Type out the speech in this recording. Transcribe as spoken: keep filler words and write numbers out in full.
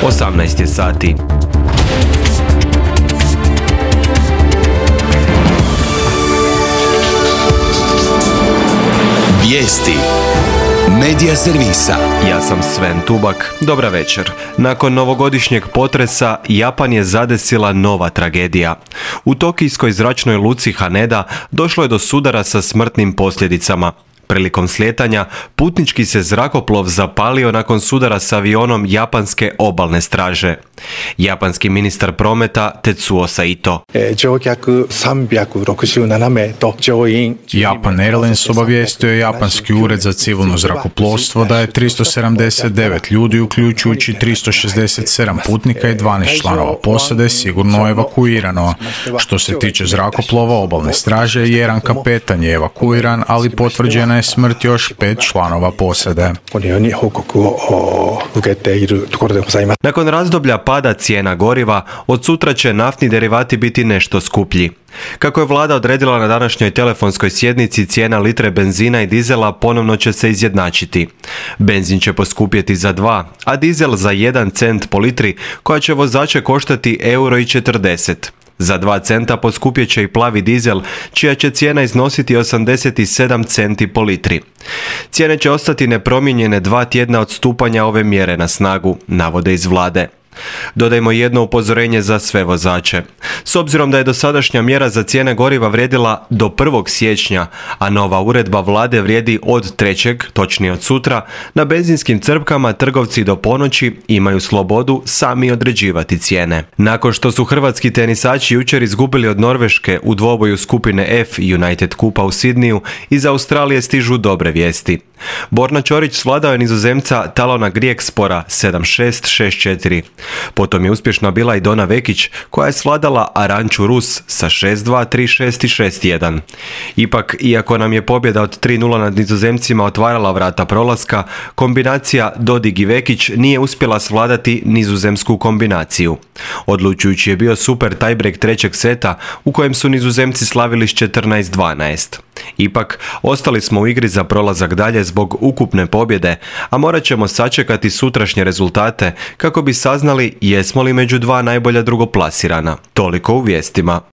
osamnaest je sati. Vijesti Medija servisa. Ja sam Sven Tubak. Dobra večer. Nakon novogodišnjeg potresa, Japan je zadesila nova tragedija. U tokijskoj zračnoj luci Haneda došlo je do sudara sa smrtnim posljedicama. Prilikom slijetanja, putnički se zrakoplov zapalio nakon sudara s avionom japanske obalne straže. Japanski ministar prometa Tetsuo Saito. Japan Airlines obavijestio je japanski ured za civilno zrakoplovstvo da je tristo sedamdeset devet ljudi, uključujući tristo šezdeset sedam putnika i dvanaest članova posade, sigurno evakuirano. Što se tiče zrakoplova obalne straže, jedan kapetan je evakuiran, ali potvrđena je smrt još pet članova posade. Nakon razdoblja pada cijena goriva, od sutra će naftni derivati biti nešto skuplji. Kako je vlada odredila na današnjoj telefonskoj sjednici, cijena litre benzina i dizela ponovno će se izjednačiti. Benzin će poskupjeti za dva, a dizel za jedan cent po litri, koja će vozače koštati euro i četrdeset. Za dva centa poskupjet će i plavi dizel, čija će cijena iznositi osamdeset sedam centi po litri. Cijene će ostati nepromijenjene dva tjedna od stupanja ove mjere na snagu, navode iz vlade. Dodajmo jedno upozorenje za sve vozače. S obzirom da je dosadašnja mjera za cijene goriva vrijedila do prvog siječnja, a nova uredba vlade vrijedi od trećeg, točnije od sutra, na benzinskim crpkama trgovci do ponoći imaju slobodu sami određivati cijene. Nakon što su hrvatski tenisači jučer izgubili od Norveške u dvoboju skupine F United Kupa u Sidniju, iz Australije stižu dobre vijesti. Borna Ćorić svladao je Nizozemca Talona Griekspora sedam šest, šest četiri. Potom je uspješna bila i Dona Vekić, koja je svladala Aranču Rus sa šest dva, tri šest i šest jedan. Ipak, iako nam je pobjeda od tri nula nad Nizozemcima otvarala vrata prolaska, kombinacija Dodig i Vekić nije uspjela svladati nizozemsku kombinaciju. Odlučujući je bio super tiebreak trećeg seta, u kojem su Nizozemci slavili s četrnaest dvanaest. Ipak, ostali smo u igri za prolazak dalje zbog ukupne pobjede, a morat ćemo sačekati sutrašnje rezultate kako bi saznali jesmo li među dva najbolja drugoplasirana. Toliko u vijestima.